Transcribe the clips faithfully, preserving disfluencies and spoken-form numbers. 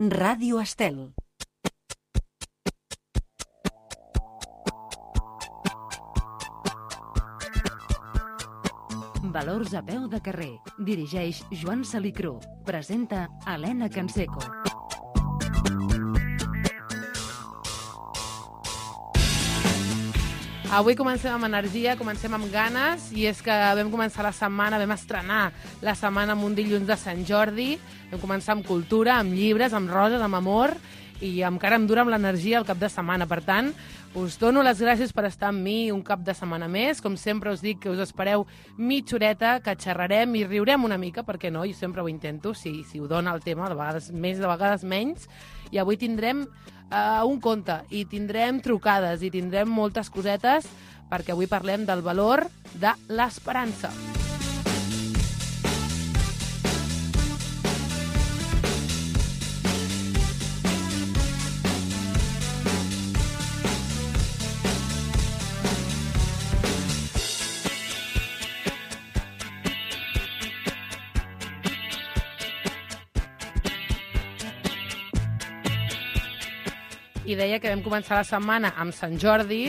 Ràdio Estel. Valors a peu de carrer. Dirigeix Joan Salicrú. Presenta Helena Canseco. Avui comencem amb energia, comencem amb ganes, i és que vam començar la setmana, vam estrenar la setmana amb un dilluns de Sant Jordi, vam començar amb cultura, amb llibres, amb roses, amb amor, i encara em dura amb l'energia el cap de setmana. Per tant, us dono les gràcies per estar amb mi un cap de setmana més. Com sempre us dic que us espereu mitja horeta, que xerrarem i riurem una mica, perquè no? Jo sempre ho intento, si, si ho dona el tema, de vegades més, de vegades menys. I avui tindrem uh, un conte, i tindrem trucades, i tindrem moltes cosetes, perquè avui parlem del valor de l'esperança. I deia que vam començar la setmana amb Sant Jordi,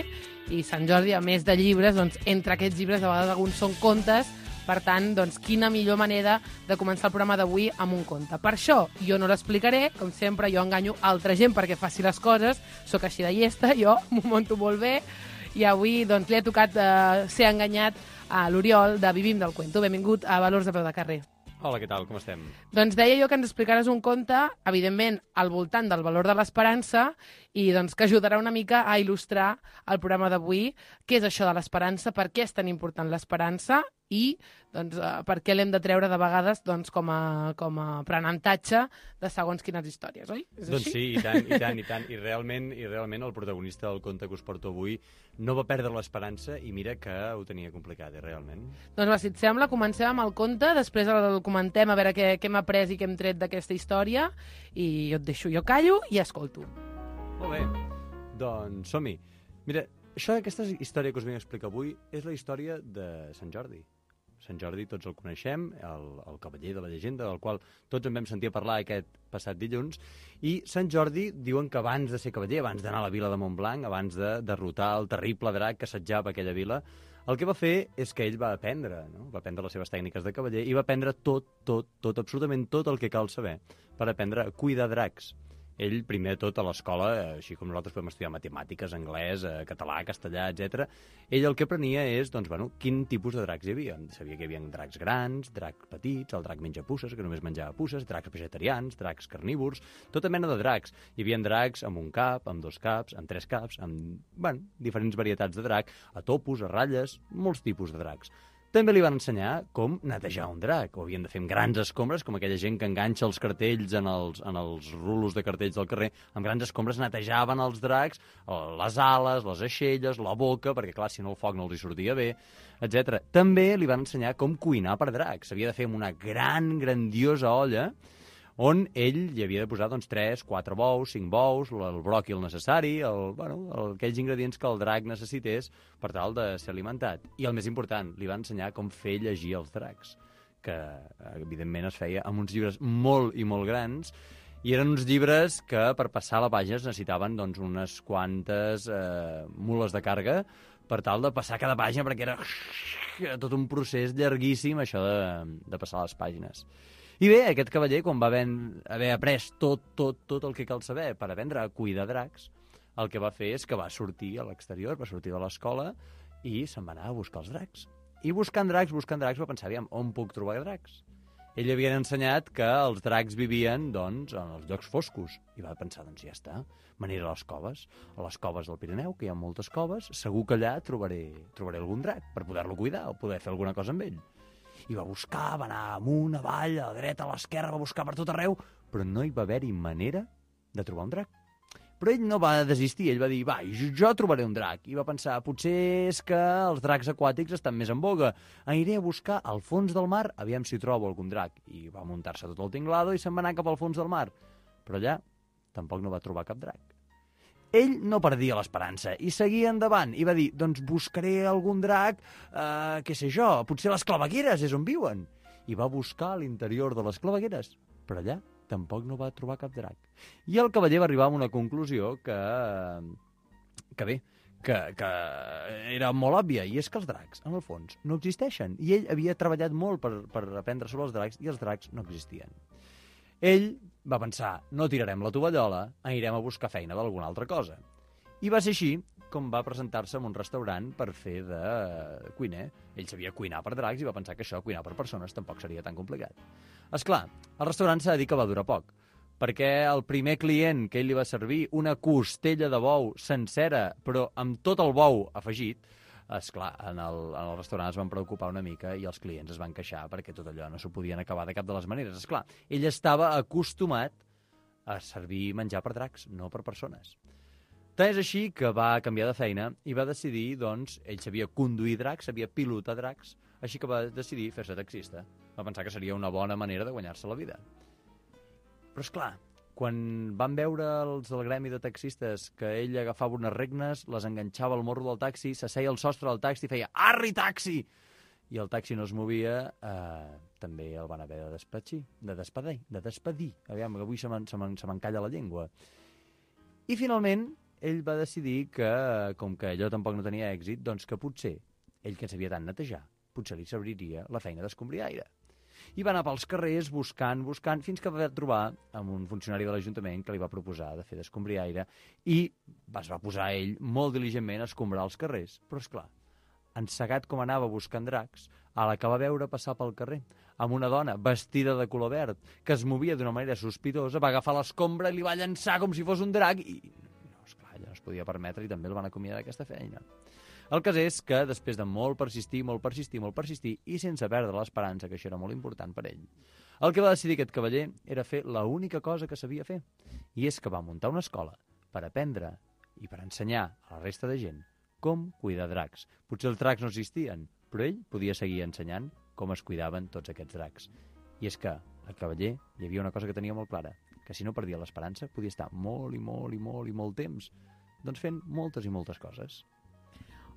i Sant Jordi, a més de llibres, doncs, entre aquests llibres, a vegades alguns són contes, per tant, doncs, quina millor manera de començar el programa d'avui amb un conte. Per això, jo no l'explicaré, com sempre, jo enganyo altra gent perquè faci les coses, sóc així de llesta, jo m'ho monto molt bé, i avui doncs, li ha tocat eh, ser enganyat a l'Oriol de Vivim del Cuento. Benvingut a Valors a peu de carrer. Hola, què tal? Com estem? Doncs deia jo que ens explicaràs un conte, evidentment, al voltant del valor de l'esperança, i doncs que ajudarà una mica a il·lustrar el programa d'avui. Què és això de l'esperança? Per què és tan important l'esperança? I doncs, per què l'hem de treure de vegades doncs, com, a, com a aprenentatge de segons quines històries, oi? És doncs així? sí, i tant, i tant, i tant. I realment, I realment el protagonista del conte que us porto avui no va perdre l'esperança, i mira que ho tenia complicat, eh, realment. Doncs va, si et sembla, comencem amb el conte, després el comentem a veure què, què hem après i què hem tret d'aquesta història, i jo et deixo, jo callo i escolto. Molt bé, doncs som-hi. Mira, això, aquesta història que us vinc a explicar avui és la història de Sant Jordi. Sant Jordi tots el coneixem, el, el cavaller de la llegenda, del qual tots en vam sentir a parlar aquest passat dilluns, i Sant Jordi diuen que abans de ser cavaller, abans d'anar a la vila de Montblanc, abans de derrotar el terrible drac que assetjava aquella vila, el que va fer és que ell va aprendre, no? Va aprendre les seves tècniques de cavaller i va aprendre tot, tot, tot, absolutament tot el que cal saber per aprendre a cuidar dracs. Ell, primer de tot, a l'escola, així com nosaltres podem estudiar matemàtiques, anglès, català, castellà, etcètera, ell el que aprenia és, doncs, bueno, quin tipus de dracs hi havia. Sabia que hi havia dracs grans, dracs petits, el drac menja puces, que només menjava puces, dracs vegetarians, dracs carnívors, tota mena de dracs. Hi havia dracs amb un cap, amb dos caps, amb tres caps, amb, bueno, diferents varietats de drac, a topos, a ratlles, molts tipus de dracs. També li van ensenyar com netejar un drac. Ho havien de fer amb grans escombres, com aquella gent que enganxa els cartells en els, en els rulos de cartells del carrer. Amb grans escombres netejaven els dracs, les ales, les aixelles, la boca, perquè, clar, si no el foc no els hi sortia bé, etcètera. També li van ensenyar com cuinar per dracs. S'havia de fer amb una gran, grandiosa olla, on ell hi havia de posar doncs, tres, quatre bous, cinc bous, el bròquil necessari, el, bueno, el, aquells ingredients que el drac necessités per tal de ser alimentat. I el més important, li va ensenyar com fer llegir els dracs, que evidentment es feia amb uns llibres molt i molt grans, i eren uns llibres que per passar la pàgina es necessitaven doncs, unes quantes eh, mules de càrrega per tal de passar cada pàgina, perquè era tot un procés llarguíssim això de, de passar les pàgines. I bé, aquest cavaller, quan va haver, haver après tot, tot, tot el que cal saber per aprendre a cuidar dracs, el que va fer és que va sortir a l'exterior, va sortir de l'escola i se'n va anar a buscar els dracs. I buscant dracs, buscant dracs, va pensar, aviam, on puc trobar dracs? Ell li havien ensenyat que els dracs vivien, doncs, en els llocs foscos. I va pensar, doncs ja està, me n'aniré a les coves, a les coves del Pirineu, que hi ha moltes coves, segur que allà trobaré, trobaré algun drac per poder-lo cuidar o poder fer alguna cosa amb ell. I va buscar, va anar amunt, avall, a la dreta, a l'esquerra, va buscar per tot arreu, però no hi va haver-hi manera de trobar un drac. Però ell no va desistir, ell va dir, va, jo trobaré un drac. I va pensar, potser és que els dracs aquàtics estan més en boga. Aniré a buscar al fons del mar, aviam si trobo algun drac. I va muntar-se tot el tinglado i se'n va anar cap al fons del mar. Però allà tampoc no va trobar cap drac. Ell no perdia l'esperança i seguia endavant i va dir, doncs buscaré algun drac, eh, què sé jo, potser les clavegueres és on viuen. I va buscar a l'interior de les clavegueres, però allà tampoc no va trobar cap drac. I el cavaller va arribar a una conclusió que, que bé, que, que era molt òbvia, i és que els dracs, en el fons, no existeixen. I ell havia treballat molt per, per aprendre sobre els dracs, i els dracs no existien. Ell va pensar, no tirarem la tovallola, anirem a buscar feina d'alguna altra cosa. I va ser així com va presentar-se en un restaurant per fer de cuiner. Ell sabia cuinar per dracs i va pensar que això, cuinar per persones, tampoc seria tan complicat. Esclar, el restaurant s'ha de dir que va durar poc, perquè el primer client que ell li va servir una costella de bou sencera, però amb tot el bou afegit, esclar, en el, en el restaurant es van preocupar una mica i els clients es van queixar perquè tot allò no s'ho podien acabar de cap de les maneres. Esclar, ell estava acostumat a servir menjar per dracs, no per persones. Tant és així que va canviar de feina i va decidir, doncs, ell sabia conduir dracs, sabia pilotar dracs, així que va decidir fer-se taxista. Va pensar que seria una bona manera de guanyar-se la vida. Però, esclar, quan van veure els del gremi de taxistes que ell agafava unes regnes, les enganxava al morro del taxi, s'asseia al sostre del taxi i feia «Arri, taxi!» i el taxi no es movia, eh, també el van haver de despatxir, de despedir, de despedir. Aviam, que avui se m'encalla la llengua. I, finalment, ell va decidir que, com que allò tampoc no tenia èxit, doncs que potser, ell que sabia tant netejar, potser li serviria la feina d'escombriaire. I va anar pels carrers buscant, buscant, fins que va trobar amb un funcionari de l'Ajuntament que li va proposar de fer d'escombriaire i es va posar ell molt diligentment a escombrar els carrers. Però, esclar, encegat com anava buscant dracs, a la que va veure passar pel carrer, amb una dona vestida de color verd, que es movia d'una manera sospitosa, va agafar l'escombra i li va llançar com si fos un drac i... ja no es podia permetre i també el van acomiadar d'aquesta feina. El cas és que, després de molt persistir, molt persistir, molt persistir, i sense perdre l'esperança, que això era molt important per ell, el que va decidir aquest cavaller era fer l'única cosa que sabia fer, i és que va muntar una escola per aprendre i per ensenyar a la resta de gent com cuidar dracs. Potser els dracs no existien, però ell podia seguir ensenyant com es cuidaven tots aquests dracs. I és que al cavaller hi havia una cosa que tenia molt clara, que si no perdia l'esperança podia estar molt i molt i molt i molt temps doncs fent moltes i moltes coses.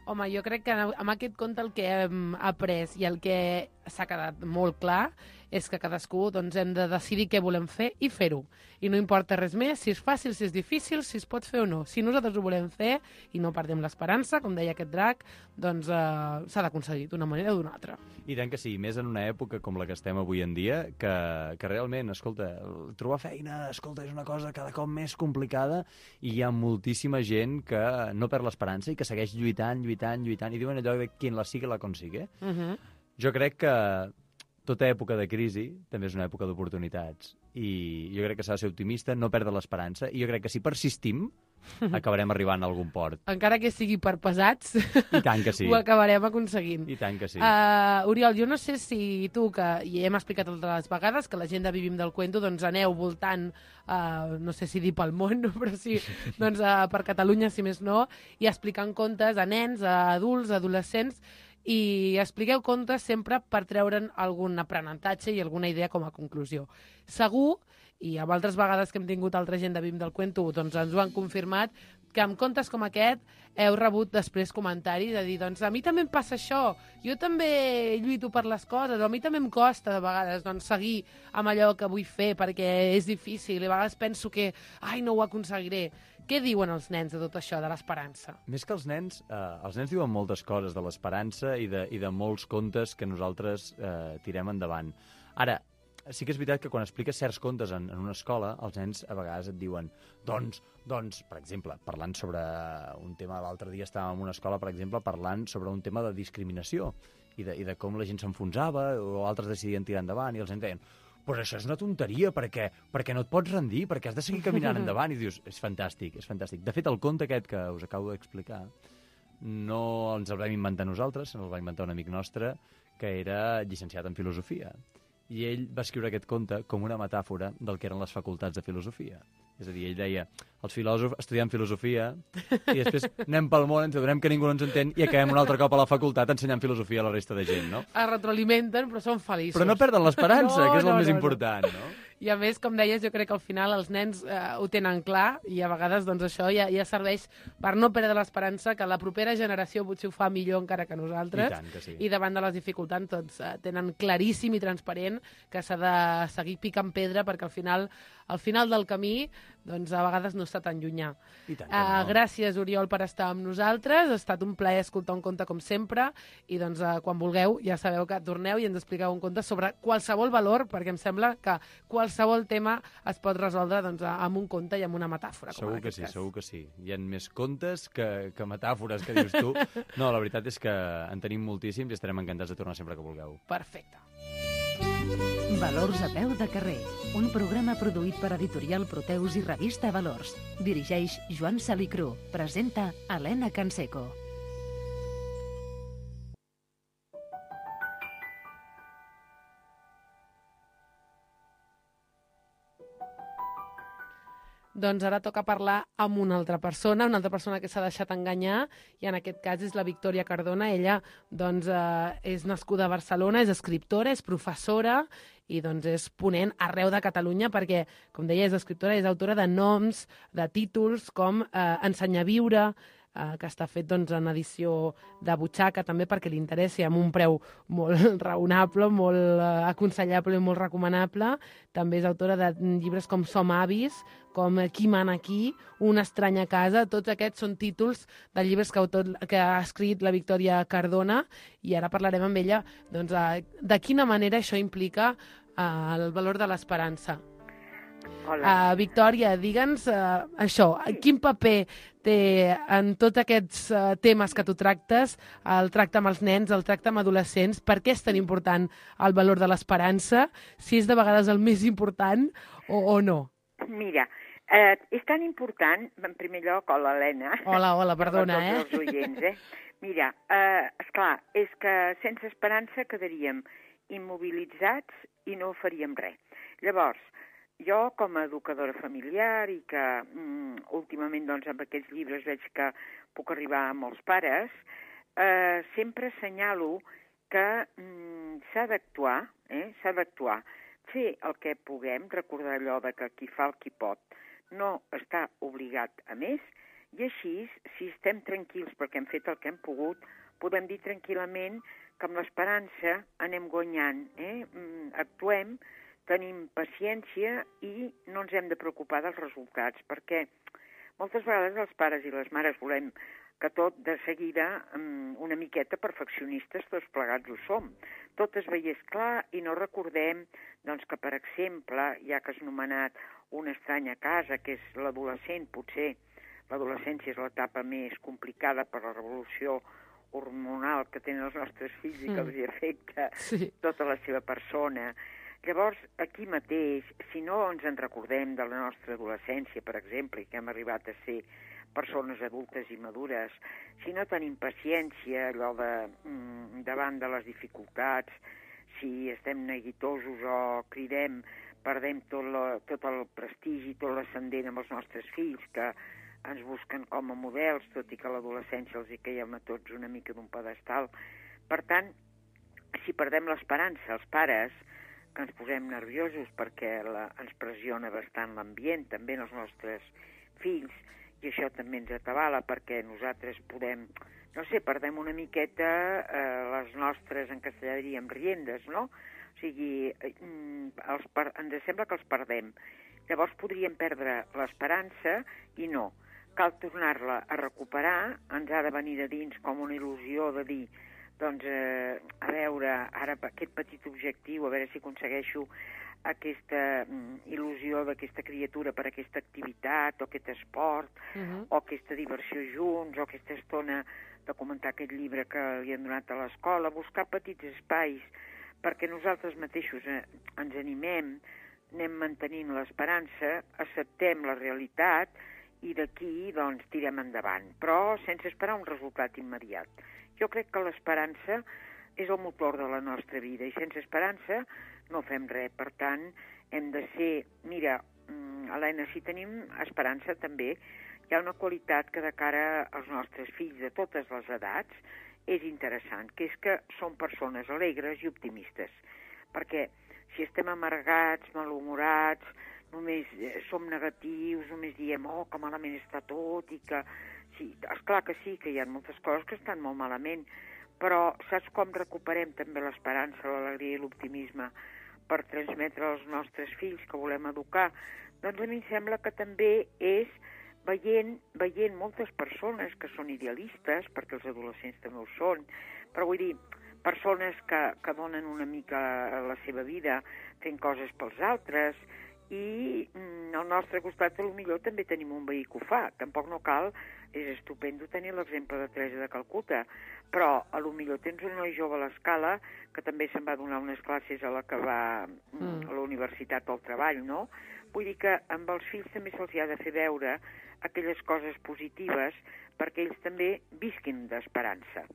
Home, jo crec que amb aquest conte el que hem après i el que s'ha quedat molt clar és que cadascú doncs, hem de decidir què volem fer i fer-ho. I no importa res més, si és fàcil, si és difícil, si es pot fer o no. Si nosaltres ho volem fer i no perdem l'esperança, com deia aquest drac, doncs eh, s'ha d'aconseguir d'una manera o d'una altra. I tant que sí, més en una època com la que estem avui en dia, que, que realment, escolta, trobar feina, escolta, és una cosa cada cop més complicada i hi ha moltíssima gent que no perd l'esperança i que segueix lluitant, lluitant, lluitant, i diuen allò de quien la sigue la consigue. Uh -huh. Jo crec que tota època de crisi també és una època d'oportunitats i jo crec que s'ha de ser optimista, no perdre l'esperança, i jo crec que si persistim acabarem arribant a algun port. Encara que sigui per pesats, I tant que sí. ho acabarem aconseguint. I tant que sí. Uh, Oriol, jo no sé si tu, que hi hem explicat altres vegades, que la gent de Vivim del Cuento, doncs aneu voltant, uh, no sé si dir pel món, no? Però sí, doncs, uh, per Catalunya, si més no, i explicant contes a nens, a adults, a adolescents, i expliqueu contes sempre per treure'n algun aprenentatge i alguna idea com a conclusió. Segur, i amb altres vegades que hem tingut altra gent de Vivim del Cuento, doncs ens ho han confirmat, que amb contes com aquest heu rebut després comentaris de dir, doncs a mi també em passa això, jo també lluito per les coses, o a mi també em costa de vegades doncs, seguir amb allò que vull fer perquè és difícil, i a vegades penso que ai, no ho aconseguiré. Què diuen els nens de tot això, de l'esperança? Més que els nens, eh, els nens diuen moltes coses de l'esperança i, de, i de molts contes que nosaltres eh, tirem endavant. Ara, sí que és veritat que quan expliques certs contes en, en una escola, els nens a vegades et diuen doncs, doncs, per exemple, parlant sobre un tema, l'altre dia estàvem en una escola, per exemple, parlant sobre un tema de discriminació i de, i de com la gent s'enfonsava o altres decidien tirar endavant i els nens deien pues això és una tonteria, perquè, perquè no et pots rendir, perquè has de seguir caminant endavant. I dius, és fantàstic, és fantàstic. De fet, el conte aquest que us acabo d'explicar no ens el vam inventar nosaltres, el va inventar un amic nostre que era llicenciat en filosofia. I ell va escriure aquest conte com una metàfora del que eren les facultats de filosofia. És a dir, ell deia, els filòsofs estudiem filosofia i després anem pel món, ens adonem que ningú no ens entén i acabem un altre cop a la facultat ensenyant filosofia a la resta de gent, no? Es retroalimenten, però són feliços. Però no perden l'esperança, no, que és el no, més no, important, no? I a més, com deies, jo crec que al final els nens eh, ho tenen clar i a vegades doncs, això ja, ja serveix per no perdre l'esperança que la propera generació potser ho fa millor encara que nosaltres. I tant que sí. I davant de les dificultats tots eh, tenen claríssim i transparent que s'ha de seguir picant pedra perquè al final, al final del camí doncs a vegades no està tan llunyà. I tant que Uh, no. gràcies, Oriol, per estar amb nosaltres. Ha estat un plaer escoltar un conte com sempre i doncs uh, quan vulgueu ja sabeu que torneu i ens expliqueu un conte sobre qualsevol valor, perquè em sembla que qualsevol tema es pot resoldre doncs, amb un conte i amb una metàfora. Com Segur en que aquest sí, cas. segur que sí. Hi ha més contes que, que metàfores que dius tu. No, la veritat és que en tenim moltíssims i estarem encantats de tornar sempre que vulgueu. Perfecte. Valors a peu de carrer, un programa produït per Editorial Proteus i Revista Valors. Dirigeix Joan Salicrú. Presenta Helena Canseco. Doncs ara toca parlar amb una altra persona, una altra persona que s'ha deixat enganyar, i en aquest cas és la Victòria Cardona. Ella doncs, eh, és nascuda a Barcelona, és escriptora, és professora i doncs, és ponent arreu de Catalunya perquè, com deia, és escriptora, és autora de noms, de títols com eh, Ensenyar a viure, eh, que està fet doncs, en edició de butxaca també perquè li interessi, amb un preu molt raonable, molt eh, aconsellable i molt recomanable. També és autora de llibres com Som avis, com Qui mana aquí, Una estranya casa. Tots aquests són títols de llibres que, autor, que ha escrit la Victòria Cardona i ara parlarem amb ella doncs, eh, de quina manera això implica eh, el valor de l'esperança. Hola. Uh, Victòria, digue'ns uh, això, quin paper té en tots aquests uh, temes que tu tractes, el tracte amb els nens, el tracte amb adolescents, per què és tan important el valor de l'esperança, si és de vegades el més important o, o no? Mira, eh, és tan important, en primer lloc, hola, Helena. Hola, hola, perdona, eh? eh? Els oients, eh? Mira, eh, esclar, és que sense esperança quedaríem immobilitzats i no faríem res. Llavors, jo, com a educadora familiar i que mm, últimament doncs, amb aquests llibres veig que puc arribar a molts pares, eh, sempre assenyalo que mm, s'ha d'actuar, eh? s'ha d'actuar, fer el que puguem, recordar allò de que qui fa el qui pot no està obligat a més, i així, si estem tranquils perquè hem fet el que hem pogut, podem dir tranquil·lament que amb l'esperança anem guanyant, eh? mm, actuem, tenim paciència i no ens hem de preocupar dels resultats, perquè moltes vegades els pares i les mares volem que tot de seguida, una miqueta perfeccionistes, tots plegats ho som. Tot es veiés clar i no recordem doncs, que, per exemple, ja que has anomenat Una estranya casa, que és l'adolescent, potser l'adolescència és l'etapa més complicada per la revolució hormonal que tenen els nostres fills i que els hi afecta Sí. tota la seva persona. Llavors, aquí mateix, si no ens en recordem de la nostra adolescència, per exemple, i que hem arribat a ser persones adultes i madures, si no tenim paciència, allò de, mm, davant de les dificultats, si estem neguitosos o cridem, perdem tot, la, tot el prestigi, tot l'ascendent amb els nostres fills, que ens busquen com a models, tot i que a l'adolescència els hi caiem a tots una mica d'un pedestal. Per tant, si perdem l'esperança, els pares, que ens posem nerviosos perquè la, ens pressiona bastant l'ambient, també en els nostres fills, i això també ens atabala perquè nosaltres podem, no sé, perdem una miqueta eh, les nostres, en castellà diríem, riendes, no? O sigui, eh, els per, ens sembla que els perdem. Llavors podríem perdre l'esperança i no. Cal tornar-la a recuperar, ens ha de venir de dins com una il·lusió de dir doncs, eh, a veure, ara aquest petit objectiu, a veure si aconsegueixo aquesta mm, il·lusió d'aquesta criatura per aquesta activitat, o aquest esport, uh-huh. o aquesta diversió junts, o aquesta estona de comentar aquest llibre que li han donat a l'escola, buscar petits espais perquè nosaltres mateixos eh, ens animem, anem mantenint l'esperança, acceptem la realitat i d'aquí doncs, tirem endavant, però sense esperar un resultat immediat. Jo crec que l'esperança és el motor de la nostra vida i sense esperança no fem res. Per tant, hem de ser... Mira, Helena, si tenim esperança també, hi ha una qualitat que de cara als nostres fills de totes les edats és interessant, que és que són persones alegres i optimistes. Perquè si estem amargats, malhumorats, només som negatius, només diem, oh, que malament està tot, i que... Sí, esclar que sí, que hi ha moltes coses que estan molt malament, però saps com recuperem també l'esperança, l'alegria i l'optimisme per transmetre als nostres fills que volem educar? Doncs a mi em sembla que també és veient, veient moltes persones que són idealistes, perquè els adolescents també ho són, però vull dir, persones que, que donen una mica la seva vida fent coses pels altres, i mm, al nostre costat potser també tenim un veí que ho fa. Tampoc no cal, és estupendo tenir l'exemple de Teresa de Calcuta, però a lo millor tens un noi jove a l'escala que també se'n va donar unes classes a la que va mm. a la universitat o al treball, no? Vull dir que amb els fills també se'ls ha de fer veure aquelles coses positives perquè ells també visquin d'esperança.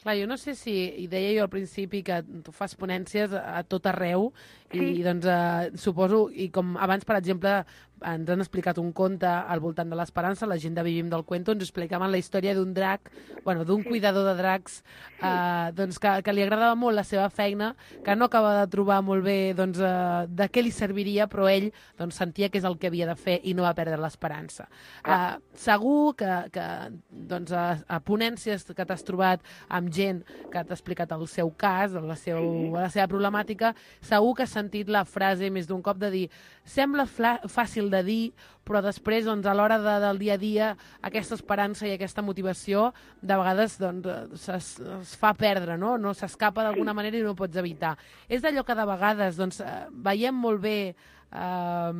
Clar, jo no sé si, i deia jo al principi que tu fas ponències a tot arreu, sí. i doncs eh, suposo, i com abans, per exemple, ens han explicat un conte al voltant de l'esperança, la gent de Vivim del Cuento, ens explicaven la història d'un drac, bueno, d'un sí. cuidador de dracs, sí. eh, doncs que, que li agradava molt la seva feina, que no acaba de trobar molt bé doncs, eh, de què li serviria, però ell doncs, sentia que és el que havia de fer i no va perdre l'esperança. Ah. Eh, segur que, que doncs, a, a ponències que t'has trobat amb gent que t'ha explicat el seu cas, la, seu, sí. la seva problemàtica, segur que has sentit la frase més d'un cop de dir sembla fàcil de dir, però després, doncs, a l'hora de, del dia a dia, aquesta esperança i aquesta motivació, de vegades, doncs, es, es fa perdre, no? No s'escapa d'alguna manera i no ho pots evitar. És d'allò que de vegades, doncs, veiem molt bé eh,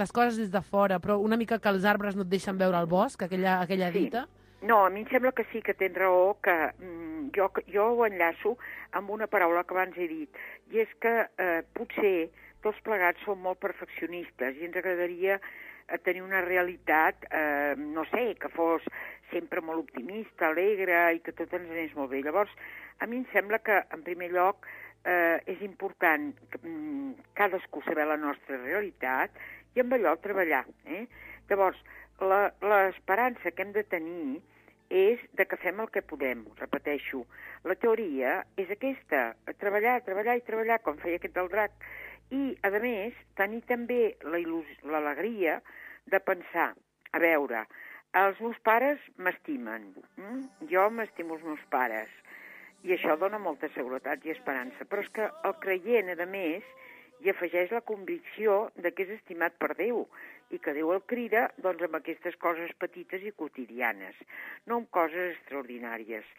les coses des de fora, però una mica que els arbres no et deixen veure el bosc, aquella, aquella dita. Sí. No, a mi em sembla que sí, que tens raó, que mm, jo, jo ho enllaço amb una paraula que abans he dit, i és que eh, potser tots plegats som molt perfeccionistes i ens agradaria eh, tenir una realitat, eh, no sé, que fos sempre molt optimista, alegre i que tot ens anés molt bé. Llavors, a mi em sembla que, en primer lloc, eh, és important que, mm, cadascú saber la nostra realitat i amb allò treballar. Eh? Llavors, l'esperança que hem de tenir és de que fem el que podem, repeteixo. La teoria és aquesta, treballar, treballar i treballar, com feia aquest del drac. I, a més, tenir també l'alegria de pensar, a veure, els meus pares m'estimen, mm? jo m'estimo els meus pares, i això dona molta seguretat i esperança, però és que el creient, a més, hi afegeix la convicció de que és estimat per Déu, i que Déu el crida doncs, amb aquestes coses petites i quotidianes, no amb coses extraordinàries.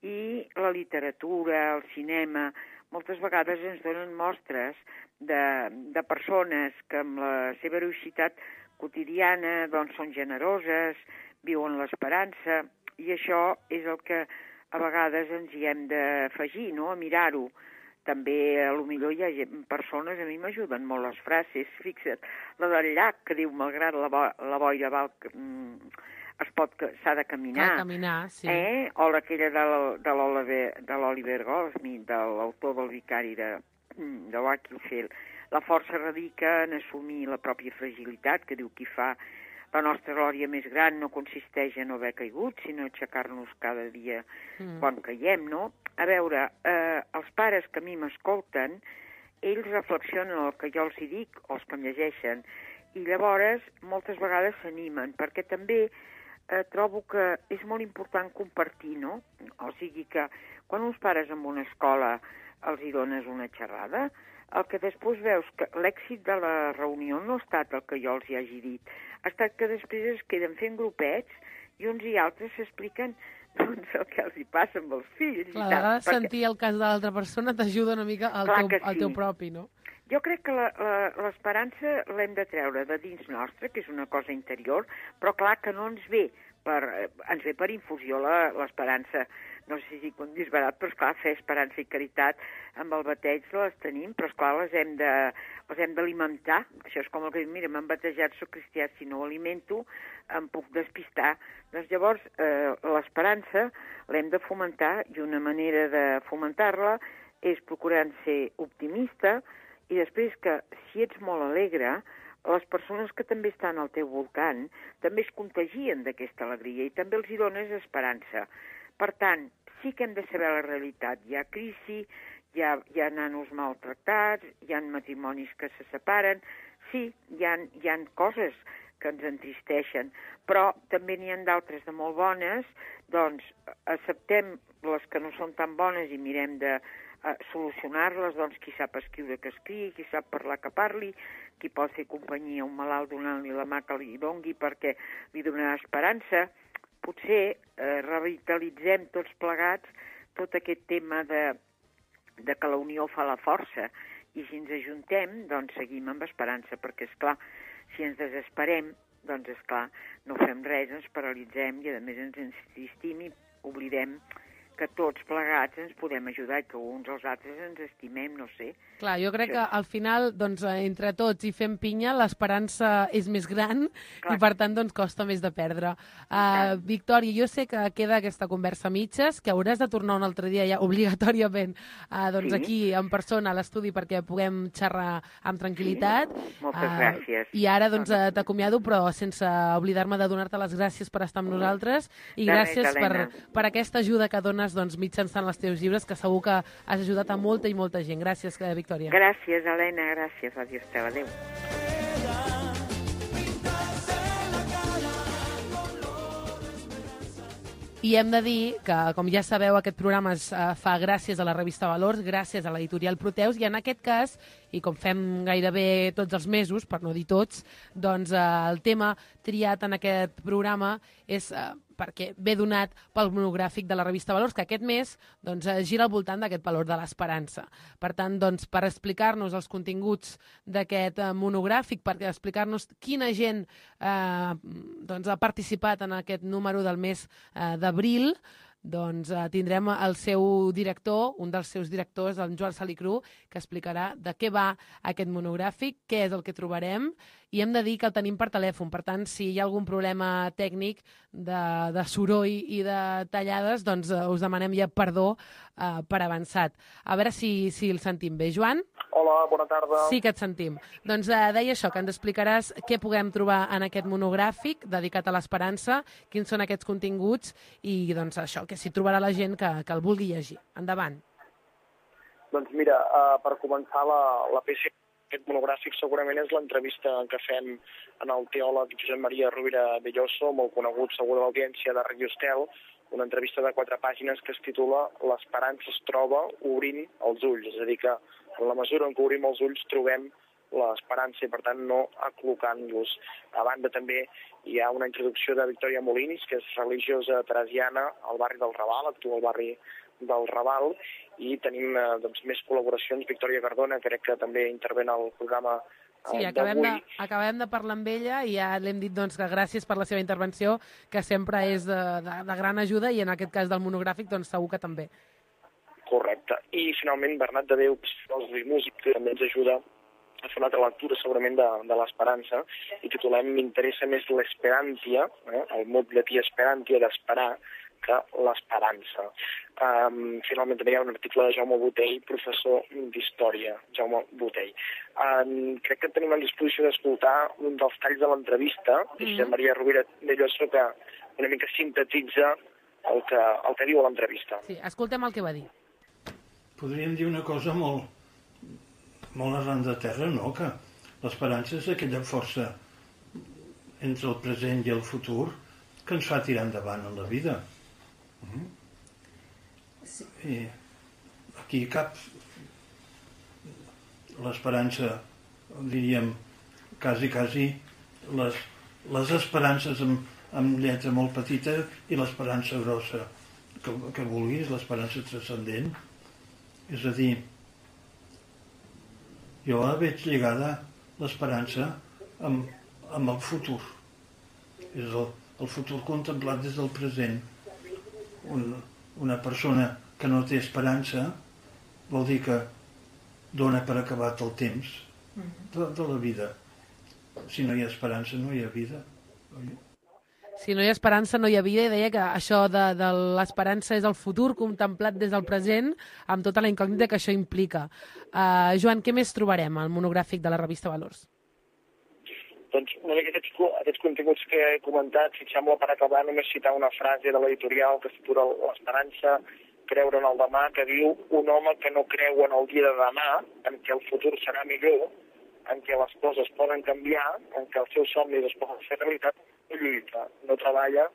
I la literatura, el cinema, moltes vegades ens donen mostres de, de persones que amb la seva heroïcitat quotidiana doncs, són generoses, viuen l'esperança, i això és el que a vegades ens hi hem d'afegir, no? A mirar-ho. També, a lo millor, hi ha persones, a mi m'ajuden molt les frases, fixa't, la del llac, que diu, malgrat la, bo la boira val, es pot, s'ha de caminar. Cal caminar, sí. Eh? O aquella de l'Oliver Goldsmith, de l'autor del Vicari de, de Wakefield. La força radica en assumir la pròpia fragilitat, que diu qui fa la nostra glòria més gran no consisteix en no haver caigut, sinó aixecar-nos cada dia mm. quan caiem, no? A veure, eh, els pares que a mi m'escolten, ells reflexionen el que jo els hi dic, o els que em llegeixen, i llavors moltes vegades s'animen, perquè també eh, trobo que és molt important compartir, no? O sigui que quan uns pares en una escola els hi dones una xerrada, el que després veus que l'èxit de la reunió no ha estat el que jo els hi hagi dit, ha estat que després es queden fent grupets i uns i altres s'expliquen doncs, el que els hi passa amb els fills. Clar, a vegades perquè... sentir el cas de l'altra persona t'ajuda una mica al teu, sí. al teu propi, no? Jo crec que l'esperança l'hem de treure de dins nostre, que és una cosa interior, però clar que no ens ve per, ens ve per infusió l'esperança. No sé si com disbarat, però esclar, fer esperança i caritat amb el bateig les tenim, però esclar, les hem de, les hem d'alimentar. Això és com el que diu, mira, m'han batejat, soc cristià, si no ho alimento, em puc despistar. Doncs llavors, eh, l'esperança l'hem de fomentar, i una manera de fomentar-la és procurant ser optimista, i després que, si ets molt alegre, les persones que també estan al teu voltant també es contagien d'aquesta alegria i també els hi dones esperança. Per tant, sí que hem de saber la realitat. Hi ha crisi, hi ha, hi ha nanos maltractats, hi ha matrimonis que se separen, sí, hi ha, hi ha coses que ens entristeixen, però també n'hi ha d'altres de molt bones, doncs acceptem les que no són tan bones i mirem de uh, solucionar-les, doncs qui sap escriure que escrigui, qui sap parlar que parli, qui pot fer companyia a un malalt donant-li la mà que li dongui perquè li donarà esperança. Potser eh, revitalitzem tots plegats tot aquest tema de, de que la unió fa la força i si ens ajuntem, doncs seguim amb esperança, perquè, és clar, si ens desesperem, doncs, és clar, no fem res, ens paralitzem i, a més, ens entristim i oblidem que tots plegats ens podem ajudar i que uns als altres ens estimem, no sé. Clar, jo crec que al final, doncs, entre tots i fem pinya, l'esperança és més gran Clar. I, per tant, doncs, costa més de perdre. Uh, Victòria, jo sé que queda aquesta conversa a mitges, que hauràs de tornar un altre dia ja obligatòriament uh, doncs, sí. aquí en persona a l'estudi perquè puguem xerrar amb tranquil·litat. Sí. Moltes uh, gràcies. I ara, doncs, uh, t'acomiado, però sense oblidar-me de donar-te les gràcies per estar amb nosaltres i de gràcies res, per, per aquesta ajuda que dones doncs, mitjançant els teus llibres, que segur que has ajudat a molta i molta gent. Gràcies, Victòria. Gràcies, Helena, gràcies. Adiós, teva, adéu. I hem de dir que, com ja sabeu, aquest programa es uh, fa gràcies a la revista Valors, gràcies a l'editorial Proteus, i en aquest cas, i com fem gairebé tots els mesos, per no dir tots, doncs uh, el tema triat en aquest programa és uh, perquè ve donat pel monogràfic de la revista Valors, que aquest mes doncs, gira al voltant d'aquest valor de l'esperança. Per tant, doncs, per explicar-nos els continguts d'aquest eh, monogràfic, per explicar-nos quina gent eh, doncs, ha participat en aquest número del mes eh, d'abril, doncs eh, tindrem el seu director, un dels seus directors, en Joan Salicru, que explicarà de què va aquest monogràfic, què és el que trobarem, i hem de dir que el tenim per telèfon. Per tant, si hi ha algun problema tècnic de, de soroll i de tallades, doncs eh, us demanem ja perdó eh, per avançat. A veure si, si el sentim bé. Joan? Hola, bona tarda. Sí que et sentim. Doncs eh, deia això, que ens explicaràs què puguem trobar en aquest monogràfic dedicat a l'esperança, quins són aquests continguts i doncs això, que s'hi trobarà la gent que, que el vulgui llegir. Endavant. Doncs mira, uh, per començar la, la peça aquest monogràfic segurament és l'entrevista que fem en el teòleg Josep Maria Rovira Belloso, molt conegut segur de l'audiència de Radio Estel, una entrevista de quatre pàgines que es titula L'esperança es troba obrint els ulls, és a dir que en la mesura en què obrim els ulls trobem l'esperança i per tant no aclocant-los. A banda també hi ha una introducció de Victòria Molinis, que és religiosa teresiana al barri del Raval, actua al barri del Raval, i tenim eh, doncs, més col·laboracions. Victòria Cardona, crec que també intervé al programa eh, sí, acabem de, acabem de parlar amb ella i ja l'hem dit doncs, que gràcies per la seva intervenció, que sempre és de, de, de gran ajuda i en aquest cas del monogràfic doncs, segur que també. Correcte. I finalment Bernat de Déu, filòsof i músic, que també ens ajuda a fer una altra lectura segurament de, de l'esperança, i titulem M'interessa més l'esperantia, eh, el mot llatí esperantia, d'esperar, que l'esperança. Um, finalment també hi ha un article de Jaume Botell, professor d'Història, Jaume Botell. Um, crec que tenim a disposició d'escoltar un dels talls de l'entrevista, mm. Josep Maria Rovira Belloso, que una mica sintetitza el que, el que diu a l'entrevista. Sí, escoltem el que va dir. Podríem dir una cosa molt, molt arran de terra, no? Que l'esperança és aquella força entre el present i el futur que ens fa tirar endavant en la vida. Mm. Sí. I aquí cap l'esperança, diríem, quasi, quasi les, les esperances amb, amb lletra molt petita i l'esperança grossa que, que vulguis, l'esperança transcendent. És a dir, jo la veig lligada, l'esperança, amb, amb el futur. És el, el futur contemplat des del present. Un, una persona que no té esperança vol dir que dona per acabat el temps de, de la vida. Si no hi ha esperança, no hi ha vida. Si no hi ha esperança, no hi ha vida. I deia que això de, de l'esperança és el futur contemplat des del present, amb tota la incògnita que això implica. Uh, Joan, què més trobarem al monogràfic de la revista Valors? Doncs una mica aquests, aquests continguts que he comentat, si et sembla per acabar només citar una frase de l'editorial que es titula L'esperança creure en el demà, que diu un home que no creu en el dia de demà, en què el futur serà millor, en què les coses poden canviar, en què els seus somnis es poden fer realitat, no lluita, no treballa,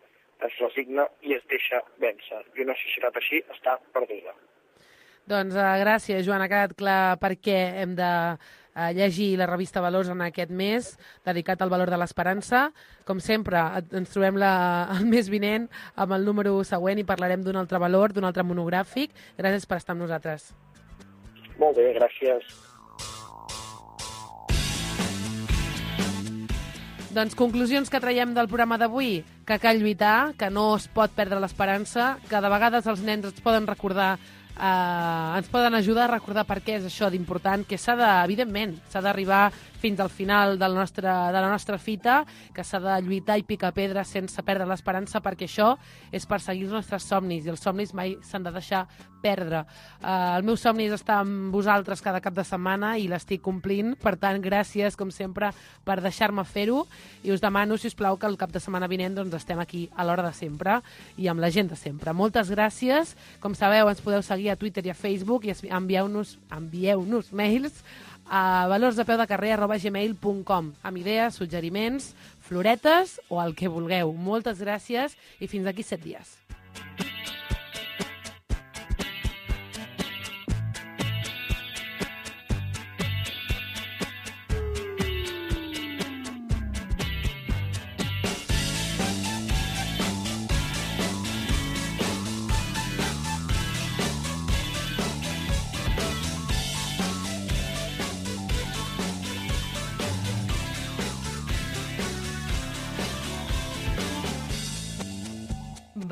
es resigna i es deixa vèncer. I una societat així està perduda. Doncs uh, gràcies, Joan. Ha quedat clar per què hem de uh, llegir la revista Valors en aquest mes, dedicat al valor de l'esperança. Com sempre, ens trobem la, el mes vinent amb el número següent i parlarem d'un altre valor, d'un altre monogràfic. Gràcies per estar amb nosaltres. Molt bé, gràcies. Doncs conclusions que traiem del programa d'avui, que cal lluitar, que no es pot perdre l'esperança, que de vegades els nens ens poden recordar, eh, ens poden ajudar a recordar per què és això d'important, que s'ha de, evidentment, s'ha d'arribar fins al final del nostre, de la nostra fita, que s'ha de lluitar i picar pedra sense perdre l'esperança, perquè això és perseguir els nostres somnis, i els somnis mai s'han de deixar perdre. Uh, el meu somni és estar amb vosaltres cada cap de setmana i l'estic complint, per tant, gràcies, com sempre, per deixar-me fer-ho, i us demano, si us plau, que el cap de setmana vinent doncs, estem aquí a l'hora de sempre i amb la gent de sempre. Moltes gràcies. Com sabeu, ens podeu seguir a Twitter i a Facebook i envieu-nos envieu-nos mails a valorsdepeudecarrer arroba gmail punt com amb idees, suggeriments, floretes o el que vulgueu. Moltes gràcies i fins d'aquí set dies.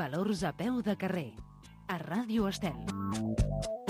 Valors a peu de carrer, a Ràdio Estel.